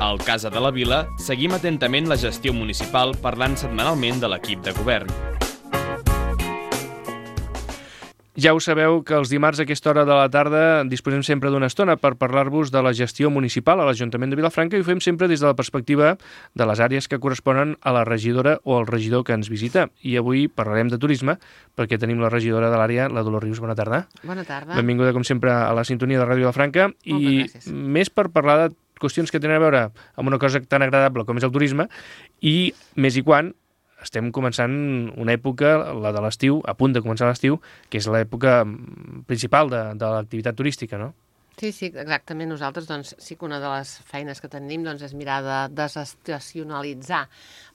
Al Casa de la Vila seguim atentament la gestió municipal parlant setmanalment de l'equip de govern. Ja ho sabeu que els dimarts a aquesta hora de la tarda disposem sempre d'una estona per parlar-vos de la gestió municipal a l'Ajuntament de Vilafranca i ho fem sempre des de la perspectiva de les àrees que corresponen a la regidora o al regidor que ens visita. I avui parlarem de turisme perquè tenim la regidora de l'àrea, la Dolors Rius. Bona tarda. Bona tarda. Benvinguda, com sempre, a la sintonia de Ràdio Vilafranca. Moltes gràcies. I més per parlar de qüestions que tenen a veure amb una cosa tan agradable com és el turisme i més i quan estem començant una època, la de l'estiu, a punt de començar l'estiu, que és l'època principal de l'activitat turística, no? Sí, exactament. Nosaltres sí que una de les feines que tenim és mirar de desestacionalitzar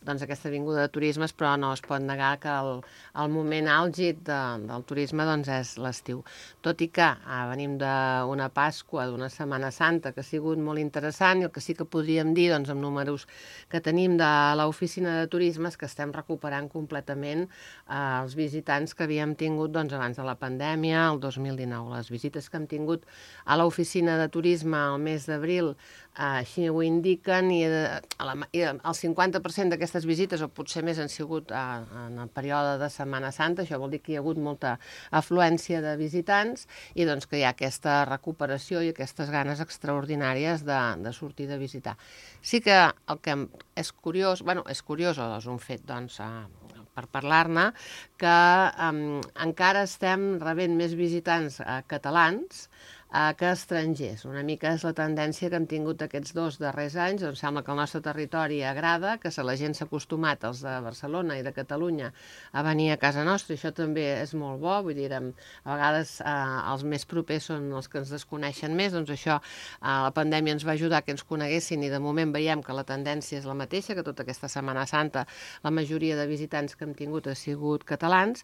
aquesta vinguda de turismes, però no es pot negar que el moment àlgid del turisme és l'estiu. Tot i que venim d'una Pasqua, d'una Setmana Santa, que ha sigut molt interessant, i el que sí que podríem dir, amb números que tenim de l'oficina de turisme, és que estem recuperant completament els visitants que havíem tingut abans de la pandèmia, el 2019. Les visites que hem tingut a l'oficina de turisme al mes d'abril així ho indiquen, i el 50% d'aquestes visites, o potser més, han sigut en el període de Setmana Santa. Això vol dir que hi ha hagut molta afluència de visitants i que hi ha aquesta recuperació i aquestes ganes extraordinàries de sortir de visitar. Sí que el que és curiós, és un fet, per parlar-ne, que encara estem rebent més visitants catalans que estrangers. Una mica és la tendència que hem tingut aquests 2 darrers anys, on sembla que el nostre territori agrada, que la gent s'ha acostumat, els de Barcelona i de Catalunya, a venir a casa nostra, i això també és molt bo. Vull dir, a vegades els més propers són els que ens desconeixen més, això la pandèmia ens va ajudar que ens coneguessin, i de moment veiem que la tendència és la mateixa, que tota aquesta Setmana Santa la majoria de visitants que hem tingut ha sigut catalans,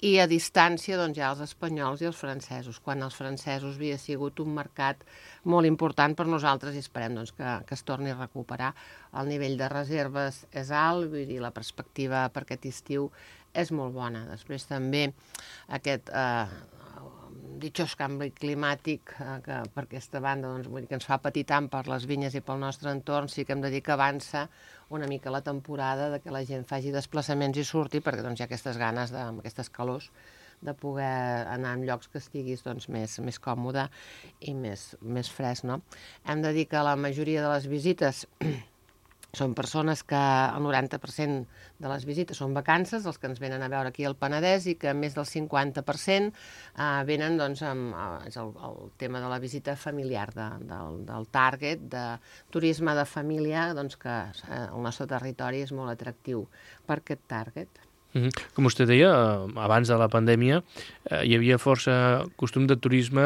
i a distància hi ha els espanyols i els francesos, quan els francesos havia sigut un mercat molt important per nosaltres, i esperem que es torni a recuperar. El nivell de reserves és alt, vull dir, la perspectiva per aquest estiu és molt bona. Després també aquest ditxós canvi climàtic que per aquesta banda vull dir que ens fa patir tant per les vinyes i pel nostre entorn, sí que hem de dir que avança una mica la temporada de que la gent faci desplaçaments i surti, perquè hi ha aquestes ganes, amb aquestes calors, de poder anar en llocs que estiguis més còmode i més fresc, no? Hem de dir que la majoria de les visites són persones que el 90% de les visites són vacances, els que ens venen a veure aquí al Penedès, i que més del 50% venen és el tema de la visita familiar, del target, de turisme de família, que el nostre territori és molt atractiu per aquest target. Com vostè deia, abans de la pandèmia hi havia força costum de turisme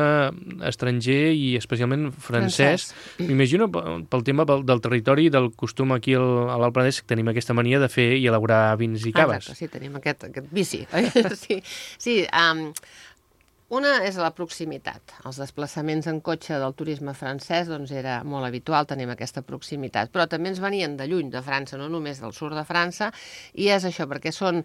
estranger i especialment francès. M'imagino pel tema del territori i del costum aquí a l'Alt Penedès, que tenim aquesta mania de fer i elaborar vins i caves. Exacte, sí, tenim aquest vici. Sí, una és la proximitat. Els desplaçaments en cotxe del turisme francès era molt habitual, tenim aquesta proximitat, però també ens venien de lluny, de França, no només del sud de França, i és això, perquè són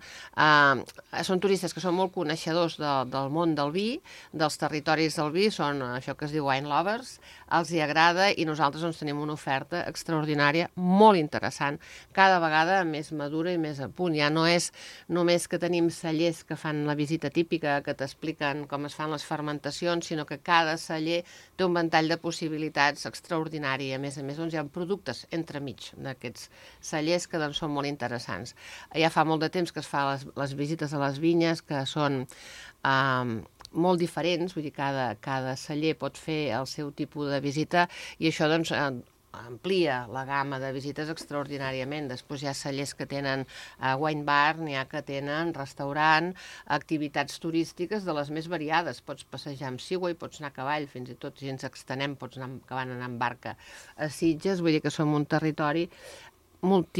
turistes que són molt coneixedors del món del vi, dels territoris del vi, són això que es diu wine lovers, els hi agrada, i nosaltres tenim una oferta extraordinària, molt interessant, cada vegada més madura i més a punt. Ja no és només que tenim cellers que fan la visita típica, que t'expliquen com es fan les fermentacions, sinó que cada celler té un ventall de possibilitats extraordinari. A més, hi ha productes entremig d'aquests cellers que són molt interessants. Ja fa molt de temps que es fa les visites a les vinyes, que són molt diferents, vull dir, cada celler pot fer el seu tipus de visita, i això amplia la gamma de visites extraordinàriament. Després hi ha cellers que tenen wine bar, n'hi ha que tenen restaurant, activitats turístiques de les més variades. Pots passejar amb Segway, pots anar a cavall, fins i tot si ens extenem pots acabar anant en barca a Sitges. Vull dir que som un territori molt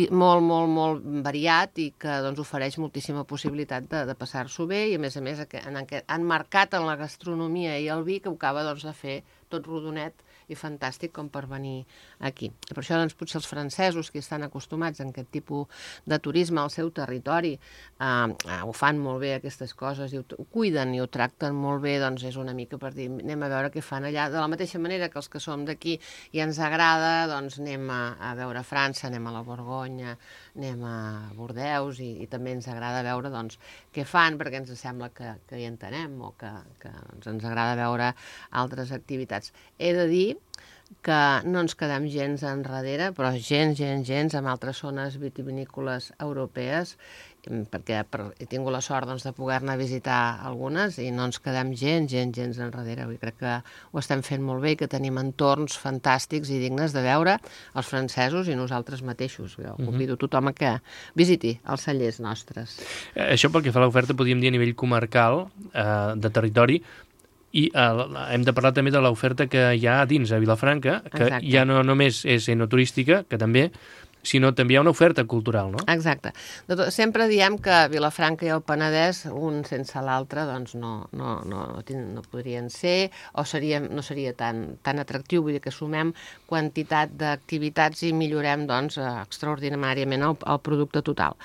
variat i que ofereix moltíssima possibilitat de passar-s'ho bé, i a més han marcat en la gastronomia i el vi, que ho acaba de fer tot rodonet i fantàstic com per venir aquí. I per això doncs, potser els francesos, que estan acostumats a aquest tipus de turisme al seu territori, ho fan molt bé aquestes coses i ho cuiden i ho tracten molt bé, doncs és una mica per dir anem a veure què fan allà. De la mateixa manera que els que som d'aquí i ens agrada, doncs anem a veure França, anem a la Borgonya, anem a Bordeus i també ens agrada veure doncs, què fan perquè ens sembla que hi entenem o que doncs, ens agrada veure altres activitats. He de dir que no ens quedem gens enrere, però gens amb altres zones vitivinícoles europees, perquè he tingut la sort doncs, de poder-ne visitar algunes i no ens quedem gens enrere. Crec que ho estem fent molt bé i que tenim entorns fantàstics i dignes de veure els francesos i nosaltres mateixos. Jo convido tothom a que visiti els cellers nostres. Això pel que fa a l'oferta, podríem dir a nivell comarcal de territori, i hem de parlar també de l'oferta que hi ha a dins, a Vilafranca, que Exacte. ja no només és enoturística, que també, sinó també hi ha una oferta cultural, no? Exacte. Sempre diem que Vilafranca i el Penedès, un sense l'altre, doncs no podrien ser, o no seria tan atractiu, vull dir que sumem quantitat d'activitats i millorem doncs, extraordinàriament el producte total,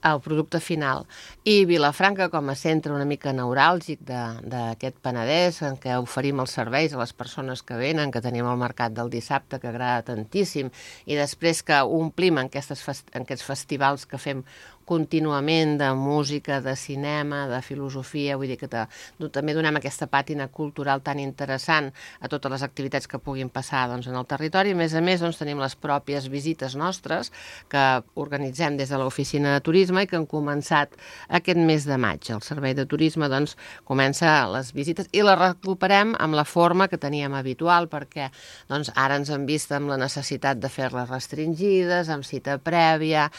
el producte final. I Vilafranca, com a centre una mica neuràlgic d'aquest Penedès, en què oferim els serveis a les persones que venen, que tenim el mercat del dissabte, que agrada tantíssim, i després que omplim en aquests festivals que fem contínuament de música, de cinema, de filosofia, vull dir que també donem aquesta pàtina cultural tan interessant a totes les activitats que puguin passar doncs, en el territori. A més, doncs, tenim les pròpies visites nostres que organitzem des de l'oficina de turisme i que han començat aquest mes de maig. El servei de turisme doncs, comença les visites i les recuperem amb la forma que teníem habitual perquè doncs, ara ens hem vist amb la necessitat de fer-les restringides, amb cita prèvia,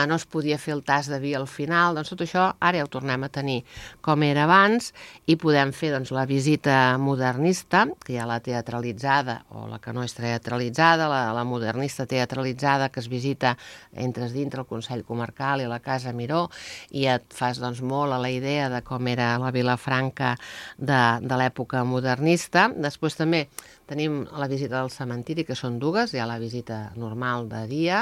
no es podia fer el tas de vi al final, doncs tot això ara ja ho tornem a tenir com era abans i podem fer doncs, la visita modernista, que hi ha la teatralitzada o la que no és teatralitzada, la modernista teatralitzada que es visita, entres dintre el Consell Comarcal i la Casa Miró i et fas doncs, molt a la idea de com era la Vilafranca de l'època modernista. Després també tenim la visita del cementiri, que són dues. Hi ha la visita normal de dia,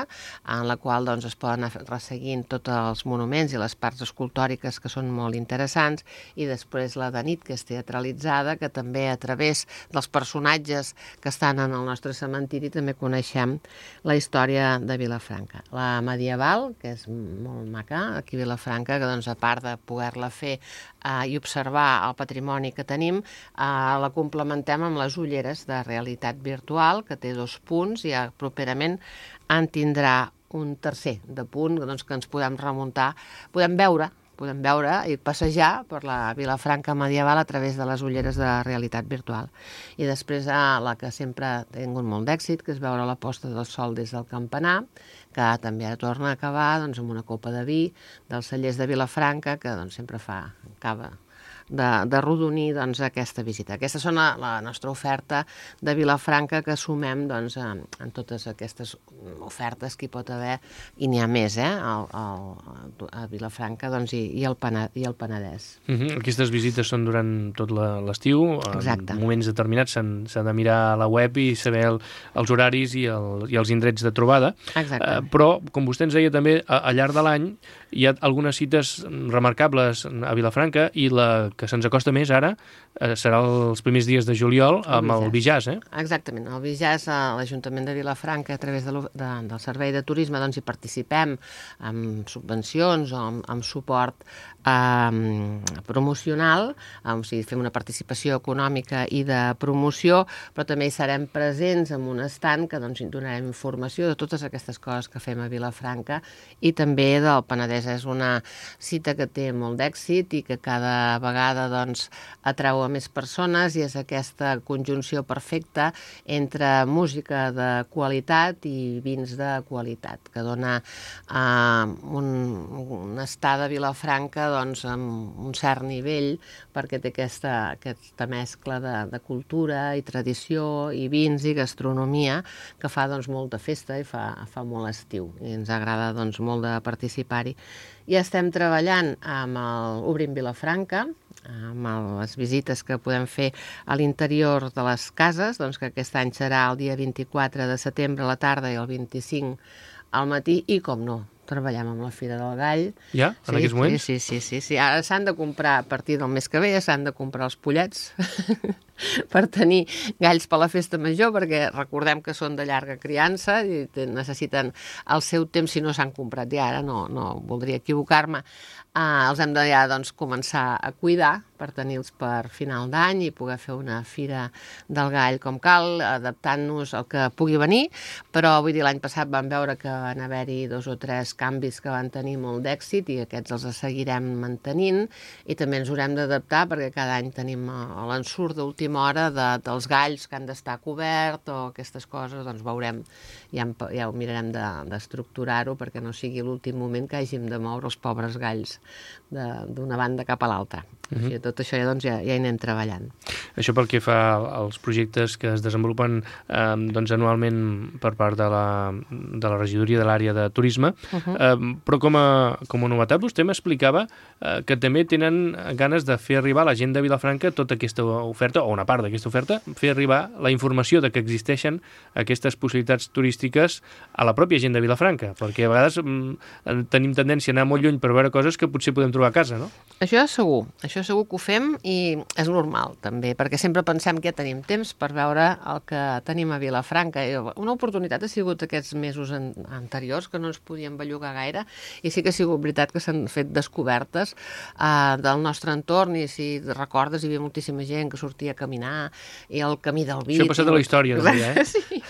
en la qual doncs, es poden anar resseguint tots els monuments i les parts escultòriques que són molt interessants, i després la de nit, que és teatralitzada, que també a través dels personatges que estan en el nostre cementiri també coneixem la història de Vilafranca. La medieval, que és molt maca, aquí a Vilafranca, que doncs, a part de poder-la fer i observar el patrimoni que tenim, la complementem amb les ulleres de realitat virtual, que té 2 punts, i properament en tindrà un tercer de punt doncs, que ens podem remuntar, podem veure i passejar per la Vilafranca medieval a través de les ulleres de realitat virtual. I després la que sempre ha tingut molt d'èxit, que és veure la posta del sol des del campanar, que també ara torna a acabar doncs, amb una copa de vi dels cellers de Vilafranca, que doncs, sempre acaba de rodonir doncs, aquesta visita. Aquesta és la nostra oferta de Vilafranca que sumem doncs, en totes aquestes ofertes que hi pot haver, i n'hi ha més a Vilafranca doncs, i el Penedès. Aquestes visites són durant tot l'estiu. Exacte. En moments determinats s'ha de mirar a la web i saber els horaris i els indrets de trobada. Exacte. Però, com vostè ens deia també, al llarg de l'any hi ha algunes cites remarcables a Vilafranca, i la que se'ns acosta més ara serà els primers dies de juliol amb el Bijàs, Exactament. El Bijàs, l'Ajuntament de Vilafranca, a través del Servei de Turisme, doncs hi participem amb subvencions o amb suport promocional, o sigui, fem una participació econòmica i de promoció, però també hi serem presents amb un estand que doncs, donarem informació de totes aquestes coses que fem a Vilafranca i també del Penedès. És una cita que té molt d'èxit i que cada vegada doncs, atrau a més persones, i és aquesta conjunció perfecta entre música de qualitat i vins de qualitat, que dona un estar de Vilafranca doncs, amb un cert nivell, perquè té aquesta mescla de cultura i tradició i vins i gastronomia que fa doncs, molta festa i fa molt estiu, i ens agrada doncs, molt de participar-hi. i estem treballant amb el Obrim Vilafranca, amb les visites que podem fer a l'interior de les cases, doncs que aquest any serà el dia 24 de setembre a la tarda i el 25 al matí, i com no, treballem amb la Fira del Gall. Ja? En aquests moments? Sí. Ara s'han de comprar, a partir del mes que ve, s'han de comprar els pollets per tenir galls per la festa major, perquè recordem que són de llarga criança i necessiten el seu temps si no s'han comprat ja. Ara no voldria equivocar-me. Els hem de ja començar a cuidar per tenir-los per final d'any i poder fer una fira del gall com cal, adaptant-nos al que pugui venir, però vull dir, l'any passat vam veure que van haver-hi 2 o 3 canvis que van tenir molt d'èxit i aquests els seguirem mantenint, i també ens haurem d'adaptar perquè cada any tenim l'ensurt d'última hora dels galls que han d'estar cobert o aquestes coses, doncs veurem, ja ho mirarem d'estructurar-ho perquè no sigui l'últim moment que hàgim de moure els pobres galls d'una banda cap a l'altra. Tot això ja hi anem treballant. Això pel que fa als projectes que es desenvolupen anualment per part de la regidoria de l'àrea de turisme, però com a novetat vostè m'explicava que també tenen ganes de fer arribar a la gent de Vilafranca tota aquesta oferta, o una part d'aquesta oferta, fer arribar la informació de que existeixen aquestes possibilitats turístiques a la pròpia gent de Vilafranca, perquè a vegades tenim tendència a anar molt lluny per veure coses que potser podem trobar a casa, no? Això segur que ho fem, i és normal també, perquè sempre pensem que ja tenim temps per veure el que tenim a Vilafranca. Una oportunitat ha sigut aquests mesos anteriors, que no ens podíem bellugar gaire, i sí que ha sigut veritat que s'han fet descobertes del nostre entorn, i si recordes hi havia moltíssima gent que sortia a caminar, i el camí del Vit... Això ha passat a la història, eh? Sí.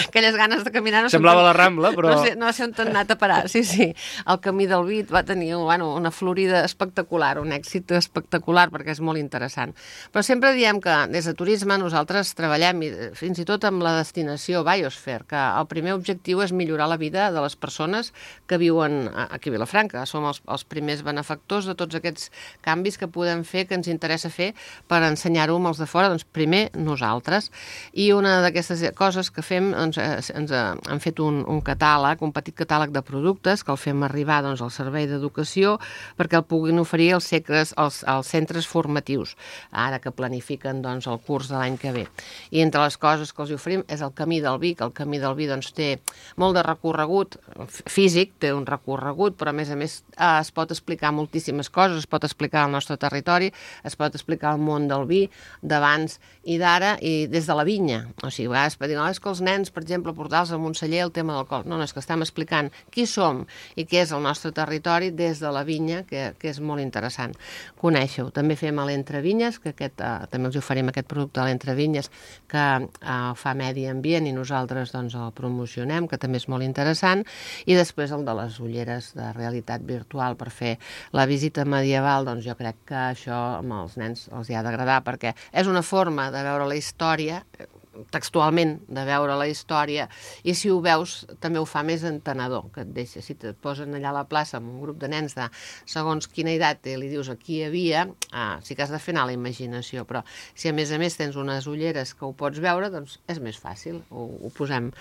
Aquelles ganes de caminar... Semblava la Rambla, però... No sé on t'han anat a parar, sí. El camí del Vit va tenir una florida espectacular, un èxit espectacular, perquè és molt interessant. Però sempre diem que des de turisme nosaltres treballem, fins i tot amb la destinació Biosphere, que el primer objectiu és millorar la vida de les persones que viuen aquí a Vilafranca. Som els primers benefactors de tots aquests canvis que podem fer, que ens interessa fer per ensenyar-ho als de fora, doncs primer nosaltres. I una d'aquestes coses que fem, ens han fet un catàleg, un petit catàleg de productes que el fem arribar al servei d'educació perquè el puguin oferir als centres formatius, ara que planifiquen el curs de l'any que ve. I entre les coses que els oferim és el Camí del Vi, que el Camí del Vi té molt de recorregut físic, té un recorregut, però a més es pot explicar moltíssimes coses, es pot explicar el nostre territori, es pot explicar el món del vi d'abans i d'ara, i des de la vinya. O sigui, a vegades per dir, és que els nens, per exemple, portar-los a Montseller el tema d'alcohol. No, és que estem explicant qui som i què és el nostre territori des de la vinya, que és molt interessant conèixer-ho. També fem a l'Entrevinyes, que també els oferim aquest producte a l'Entrevinyes, que fa medi ambient i nosaltres el promocionem, que també és molt interessant, i després el de les ulleres de realitat virtual per fer la visita medieval, jo crec que això amb els nens els hi ha d'agradar, perquè és una forma de veure la història, textualment, de veure la història, i si ho veus també ho fa més entenedor, que et deixa, si et posen allà a la plaça amb un grup de nens de segons quina edat i li dius aquí hi havia, sí que has de fer anar la imaginació, però si a més tens unes ulleres que ho pots veure, doncs és més fàcil, ho posem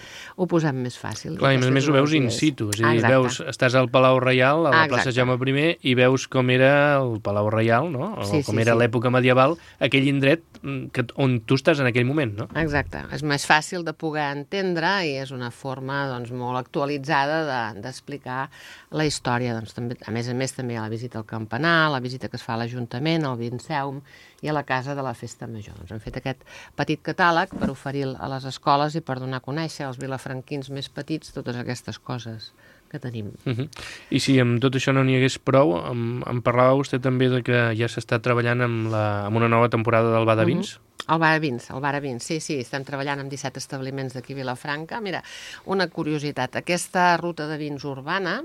més fàcil. Clar, i a més ho veus in situ, és a dir, estàs al Palau Reial, a la plaça Jaume I, i veus com era el Palau Reial, no? O com era l'època medieval, aquell indret on tu estàs en aquell moment, no? Exacte. És més fàcil de poder entendre i és una forma molt actualitzada d'explicar la història. A més també a la visita al campanar, la visita que es fa a l'Ajuntament, al Vinceum i a la Casa de la Festa Major. Hem fet aquest petit catàleg per oferir a les escoles i per donar a conèixer als vilafranquins més petits totes aquestes coses que tenim. I si amb tot això no n'hi hagués prou, em parlava vostè també de que ja s'està treballant amb una nova temporada del Bar de Vins? El Bar de Vins, sí, estem treballant amb 17 establiments d'aquí a Vilafranca. Mira, una curiositat, aquesta ruta de vins urbana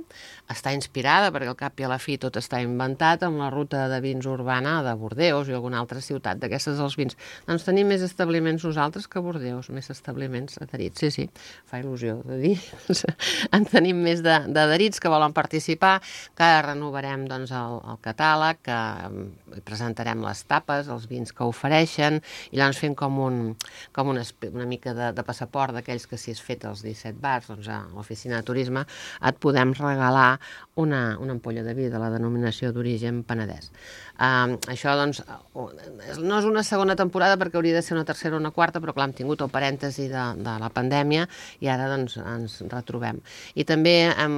està inspirada, perquè al cap i a la fi tot està inventat, amb la ruta de vins urbana de Bordeus i alguna altra ciutat d'aquestes dels vins. Doncs tenim més establiments nosaltres que Bordeus, més establiments adherits, sí, fa il·lusió de dir. En tenim més d'adherits que volen participar, que renovarem el catàleg, que presentarem les tapes, els vins que ofereixen, i llavors fem com una mica de passaport d'aquells que si has fet els 17 bars, doncs a l'oficina de turisme et podem regalar una ampolla de vi de la denominació d'origen Penedès. Això, doncs, no és una segona temporada perquè hauria de ser una tercera o una quarta, però clar, hem tingut el parèntesi de la pandèmia i ara doncs ens retrobem. I també hem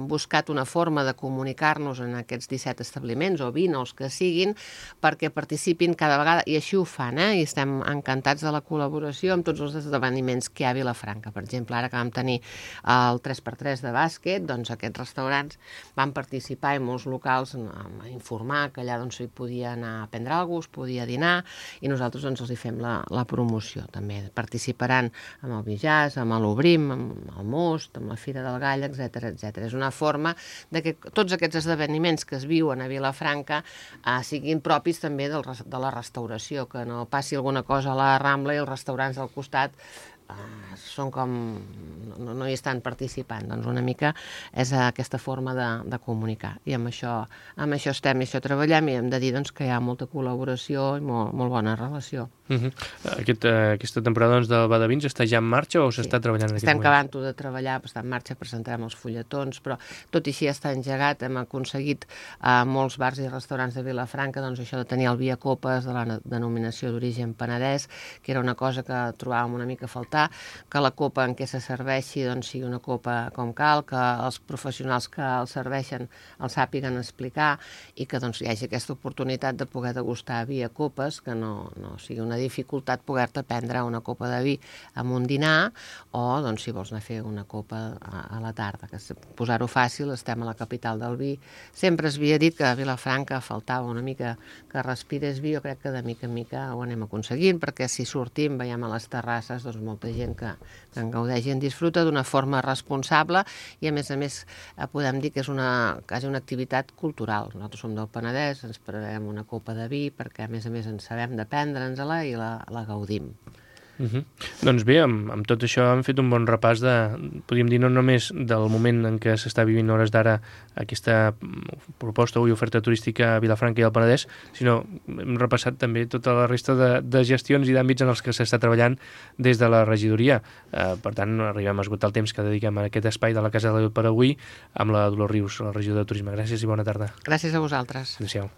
buscat una forma de comunicar-nos en aquests 17 establiments o 20 o els que siguin perquè participin cada vegada, i així ho fan, i estem encantats de la col·laboració amb tots els esdeveniments que hi ha a Vilafranca. Per exemple, ara que vam tenir el 3x3 de bàsquet, doncs aquests restaurants van participar i molts locals a informar que allà doncs hi podia anar a prendre alguna cosa, es podia dinar, i nosaltres doncs els hi fem la promoció. També participaran amb el Bijàs, amb l'Obrim, amb el Most, amb la Fira del Gall, etc etc. És una forma de que tots aquests esdeveniments que es viuen a Vilafranca siguin propis també de la restauració, que no passi alguna cosa a la Rambla i els restaurants del costat són com... no hi estan participant. Doncs una mica és aquesta forma de comunicar. I amb això estem, i això treballem, i hem de dir doncs, que hi ha molta col·laboració i molt bona relació. Aquesta temporada doncs, del Badavins està ja en marxa o s'està treballant en aquest moment? Estem acabant-ho de treballar, està en marxa, presentarem els fulletons, però tot i així està engegat. Hem aconseguit a molts bars i restaurants de Vilafranca doncs, això de tenir el vi a copes de la denominació d'origen Penedès, que era una cosa que trobàvem una mica a faltar, que la copa en què se serveixi doncs, sigui una copa com cal, que els professionals que el serveixen el sàpiguen explicar i que doncs, hi hagi aquesta oportunitat de poder degustar vi a copes, que no sigui una dificultat poder-te prendre una copa de vi amb un dinar o doncs, si vols anar a fer una copa a la tarda. Que posar-ho fàcil, estem a la capital del vi. Sempre es havia dit que a Vilafranca faltava una mica que respires vi, jo crec que de mica en mica ho anem aconseguint, perquè si sortim, veiem a les terrasses, doncs molta gent que en gaudeix i en disfruta d'una forma responsable i a més podem dir que és quasi una activitat cultural. Nosaltres som del Penedès, ens preparem una copa de vi perquè a més en sabem de prendre'ns-la i la gaudim. Doncs bé, amb tot això hem fet un bon repàs podríem dir, no només del moment en què s'està vivint a hores d'ara aquesta proposta i oferta turística a Vilafranca i al Penedès, sinó hem repassat també tota la resta de gestions i d'àmbits en els que s'està treballant des de la regidoria. Per tant, arribem a esgotar el temps que dediquem a aquest espai de la Casa de la per avui amb la Dolors Rius, la regidora de Turisme. Gràcies i bona tarda. Gràcies a vosaltres. Adéu-siau.